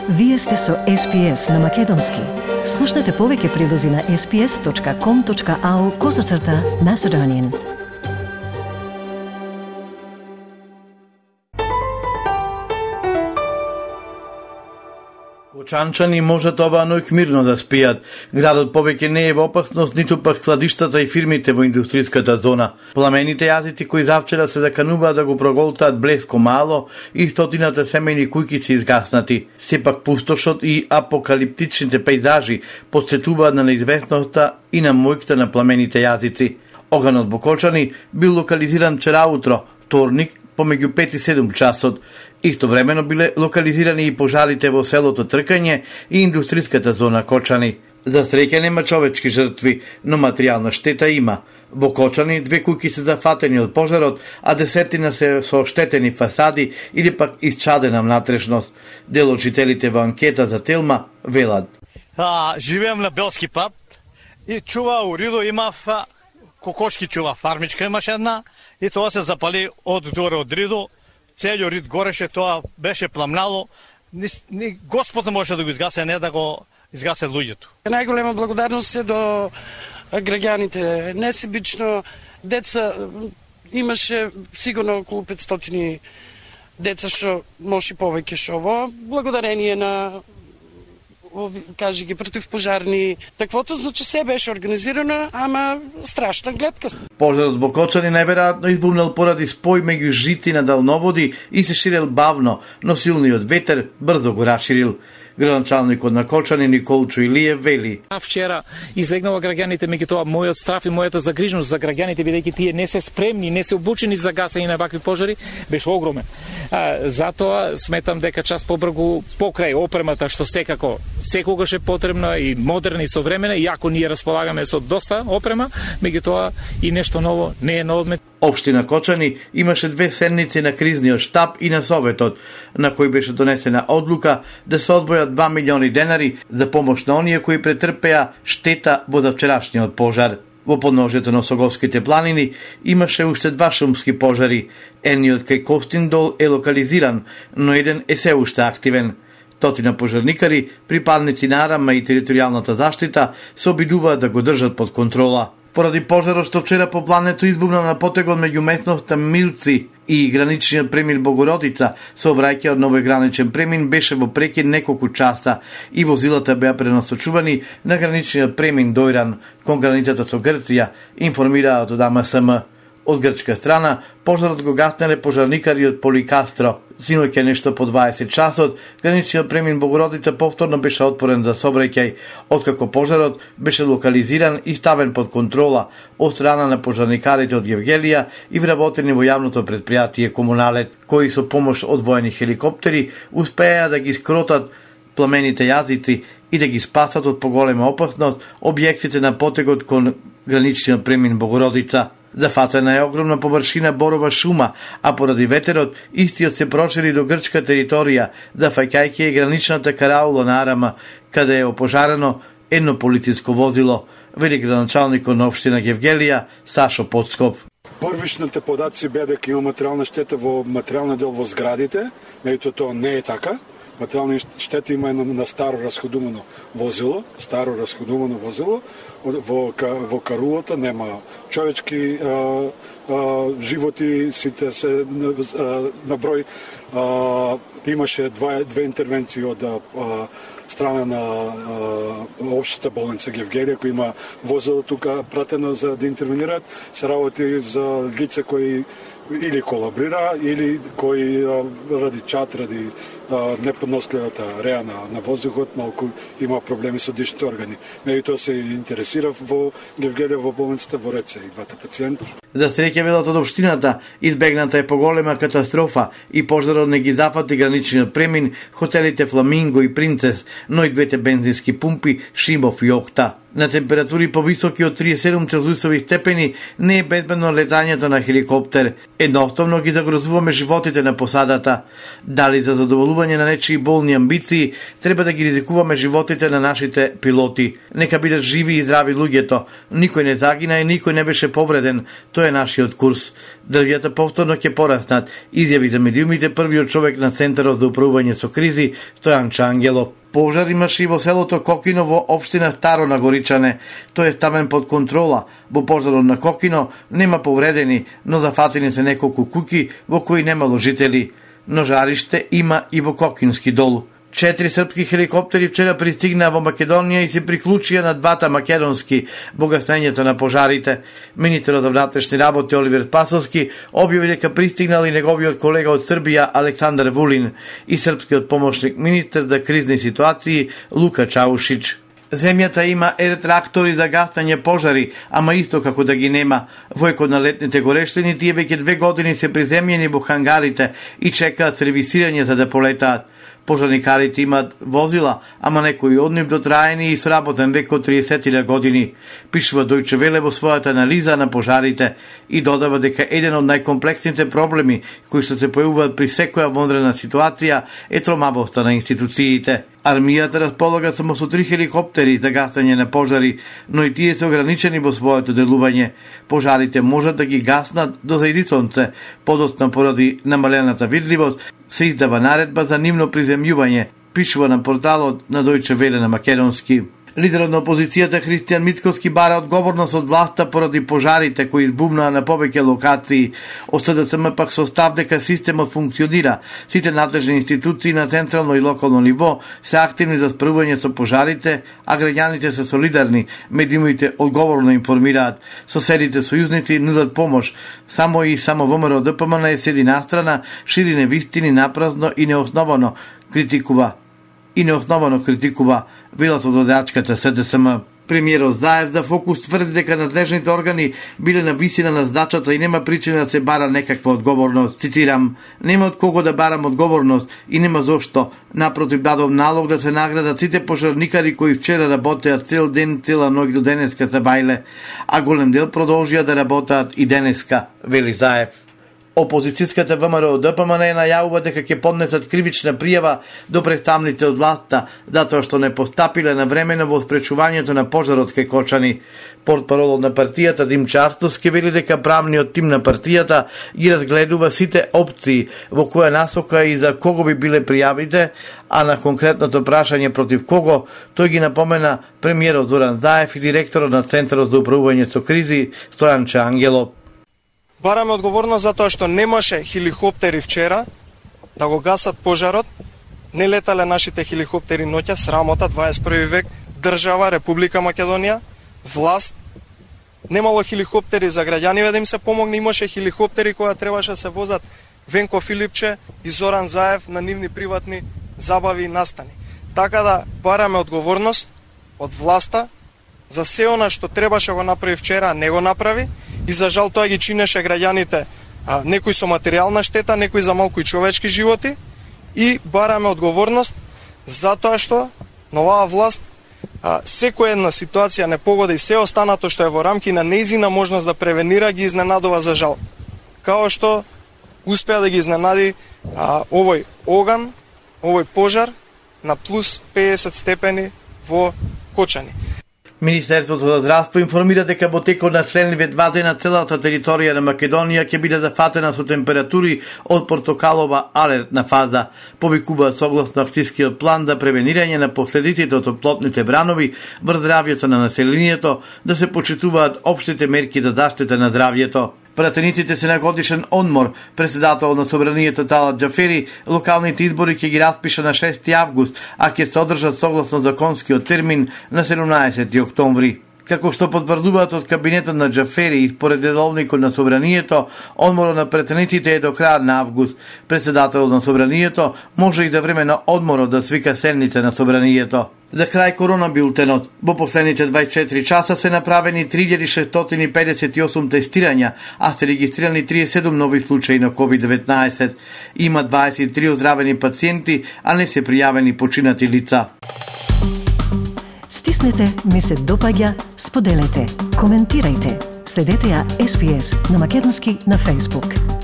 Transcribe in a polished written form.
Вие сте со SPS на Македонски. Слушнете повеќе прилози на sps.com.au/Macedonian. Кочанчани можат оваа ноќ мирно да спијат. Градот повеќе не е во опасност, ниту пак складиштата и фирмите во индустријската зона. Пламените јазици кои завчера се закануваат да го проголтаат Блеско мало и стотината семејни куќи се изгаснати. Сепак пустошот и апокалиптичните пејзажи потсетуваат на неизвестноста и на мојката на пламените јазици. Оганот во Кочани бил локализиран вчера утро, вторник, помеѓу 5 и 7 часот. Истовремено биле локализирани и пожарите во селото Тркање и индустријската зона Кочани. За среќа нема човечки жртви, но материјална штета има. Во Кочани 2 куќи се зафатени од пожарот, а десетина се со оштетени фасади или пак исчадена внатрешност. Дел од жителите во анкета за Телма велат. Живеам на Белски пат и чува уридо имав кокошки чува, фармичка имаше една и тоа се запали од доре од ридо. Целиот рид гореше, тоа беше пламнало. Ни Господ може да го изгасе, не да го изгасе луѓето. Најголема благодарност е до граѓаните. Несебично деца имаше сигурно околу 500 деца што може повеќе што во благодарение на кажи ги противпожарни. Таквото значи се беше организирано, ама страшна гледка. Пожарот во Кочани најверојатно избумнал поради спој меѓу жици на далноводи и се ширел бавно, но силниот ветер брзо го расширил. Градоначалникот на Кочани Николчо Илиев вели. Вчера излегнала граѓаните, меѓутоа мојот страф и мојата загриженост за граѓаните, бидејќи тие не се спремни, не се обучени за гасење на вакви пожари, беше огромен. Затоа сметам дека час побргу покрај опремата што секогаш е потребна и модерна и современа, иако ние располагаме со доста опрема, меѓутоа и нешто ново не е на одмет. Општина Кочани имаше 2 седници на кризниот штаб и на Советот, на кој беше донесена одлука да се одвојат 2 милиони денари за помош на оние кои претрпеа штета во завчерашниот пожар. Во подножјето на Соговските планини имаше уште 2 шумски пожари. Едниот кај Костиндол е локализиран, но еден е се уште активен. Стотина пожарникари, припадници на Арама и територијалната заштита се обидуваат да го држат под контрола. Поради пожарот што вчера по плането избухна на потегот меѓу местноста Милци и граничниот премин Богородица, сообраќајот на овој граничен премин беше во прекин неколку часа и возилата беа пренасочувани на граничниот премин Дојран кон границата со Грција, информираат од АМСМ. Од грчка страна, пожарот го гаснеле пожарникари од Поликастро. Синоќа нешто по 20 часот, граничниот премин Богородица повторно беше отворен за сообраќај, откако пожарот беше локализиран и ставен под контрола од страна на пожарникарите од Евгелија и вработени во јавното предпријатие Комуналет, кои со помош од воени хеликоптери успеа да ги скротат пламените јазици и да ги спасат од поголема опасност објектите на потегот кон граничниот премин Богородица. Зафатена е огромна површина борова шума, а поради ветерот истиот се прошири до грчка територија, зафаќајќи и граничната караула на Арама, каде е опожарено едно полициско возило, вели градоначалникот на општина Евгелија Сашо Подсков. Првичните податци беа дека има материјална штета во материјален дел во зградите, меѓутоа тоа не е така. Материјални штети има на старо расходувано возило, во карулата нема човечки животи, сите се на број. Имаше две интервенции од страна на општата болница Евгелија, кој има возило тука пратено за да интервенираат, се работи за лице кои или колабрира, или кои ради чат, ради неподносливата реа на воздухот, малку има проблеми со дишните органи. Меѓутоа се интересира во Евгелија во болницата во Реце и двата пациенти. За среќа велат од општината, избегната е поголема катастрофа и пожарот не ги зафати граничниот премин, хотелите Фламинго и Принцес, но и 2 бензински пумпи Шимов и Окта. На температури повисоки од 37 целзиусови степени не е безбедно летањето на хеликоптер. Едноставно ги загрозуваме животите на посадата. Дали за задоволување задоволување на нечии болни амбиции, треба да ги ризикуваме животите на нашите пилоти. Нека бидат живи и здрави луѓето. Никој не загина и никој не беше повреден. Тоа е нашиот курс. Дрвјата повторно ќе пораснат, изјави за медиумите првиот човек на Центарот за управување со кризи, Стојанче Ангелов. Пожар имаше и во селото Кокино во општина Старо на Горичане. Тој е ставен под контрола. Во пожарот на Кокино нема повредени, но зафатени се неколку куќи во кои немало жители. Но жариште има и во Кокински дол. 4 српски хеликоптери вчера пристигнаа во Македонија и се приклучија на двата македонски во гаснењето на пожарите. Министерот за внатрешни работи Оливер Спасовски објави дека пристигнал и неговиот колега од Србија Александар Вулин и српскиот помошник министер за кризни ситуации Лука Чаушич. Земјата има ретрактори за гасање пожари, ама исто како да ги нема. Војкот на летните горештини тие веќе 2 години се приземјени во хангарите и чекаат сервисирање за да полетаат. Пожарникарите имаат возила, ама некои од нив дотраени и сработен век од 30 години, пишува Дојче Веле во својата анализа на пожарите и додава дека еден од најкомплексните проблеми кои што се појавуваат при секоја вонредна ситуација е тромавоста на институциите. Армијата располага само со 3 хеликоптери за гасање на пожари, но и тие се ограничени во своето делување. Пожарите можат да ги гаснат до зајди сонце, подоцна поради намалената видливост, се издава наредба за нивно приземјување, пишува на порталот на Дојче Веле на македонски. Лидерот на опозицијата Христијан Мицковски бара одговорност од власта поради пожарите кои избумнаа на повеќе локации. Од СДСМ пак со став дека системот функционира. Сите надлежни институции на централно и локално ниво се активни за справување со пожарите, а граѓаните се солидарни, медиумите одговорно информираат. Соседите сојузници нудат помош. Само ВМРО ДПМН седи настрана, шири невистини напразно и неосновано критикува велат од водачката СДСМ. Премиерот Заев за Фокус тврди дека надлежните органи биле на висина на задачата и нема причина да се бара некаква одговорност. Цитирам: "Нема од кого да барам одговорност и нема зошто. Напротив, дадов налог да се наградат сите пожарникари кои вчера работеа цел ден, цела ноќ до денеска за бајле, а голем дел продолжија да работаат и денеска", вели Заев. Опозицијската ВМРО ДПМН најавува дека ќе поднесат кривична пријава до представниците од власта затоа што не постапиле на времено во спречувањето на пожарот кај Кочани. Портпаролот на партијата Димче Арстовски вели дека правниот тим на партијата ги разгледува сите опции во која насока и за кого би биле пријавите, а на конкретното прашање против кого тој ги напомена премиерот Зоран Заев и директорот на Центарот за управување со кризи Стојанче Ангелов. Бараме одговорност затоа што немаше хеликоптери вчера да го гасат пожарот, не летале нашите хеликоптери ноќа, срамота, 21 век, држава, Република Македонија, власт, немало хеликоптери за граѓаниве да им се помогне, имаше хеликоптери кои требаше да се возат Венко Филипче и Зоран Заев на нивни приватни забави и настани. Така да бараме одговорност од власта за се она што требаше го направи вчера, не го направи, и за жал тоа ги чинеше граѓаните, некои со материјална штета, некои за малку и човечки животи, и бараме одговорност затоа што на оваа власт секоја една ситуација непогода и се останато што е во рамки на нејзина можност да превенира ги изненадува за жал. Као што успеа да ги изненади овој оган, овој пожар на плюс 50 степени во Кочани. Министерството за здравство информира дека во текот на следниве 2 дена целата територија на Македонија ќе биде зафатена со температури од портокалова алертна фаза, повикува согласно акцијскиот план за превенирање на последиците од топлотните бранови врз здравјето на населението, да се почитуваат општите мерки за заштита на здравјето. Пратениците се на годишен одмор. Председател на Собранието Талат Џафери локалните избори ќе ги распиша на 6 август, а ќе се одржат согласно законскиот термин на 17 октомври. Како што потврдуваат од кабинетот на Џафери и според редовникот на Собранието, одморот на пратениците е до крај на август. Председателот на Собранието може и за време на одморот да свика седница на Собранието. За крај корона билтенот. Во последните 24 часа се направени 3658 тестирања, а се регистрирани 37 нови случаи на COVID-19. Има 23 оздравени пациенти, а не се пријавени починати лица. Стиснете, ми се допаѓа, споделете, коментирајте. Следете ја SPS на македонски на Facebook.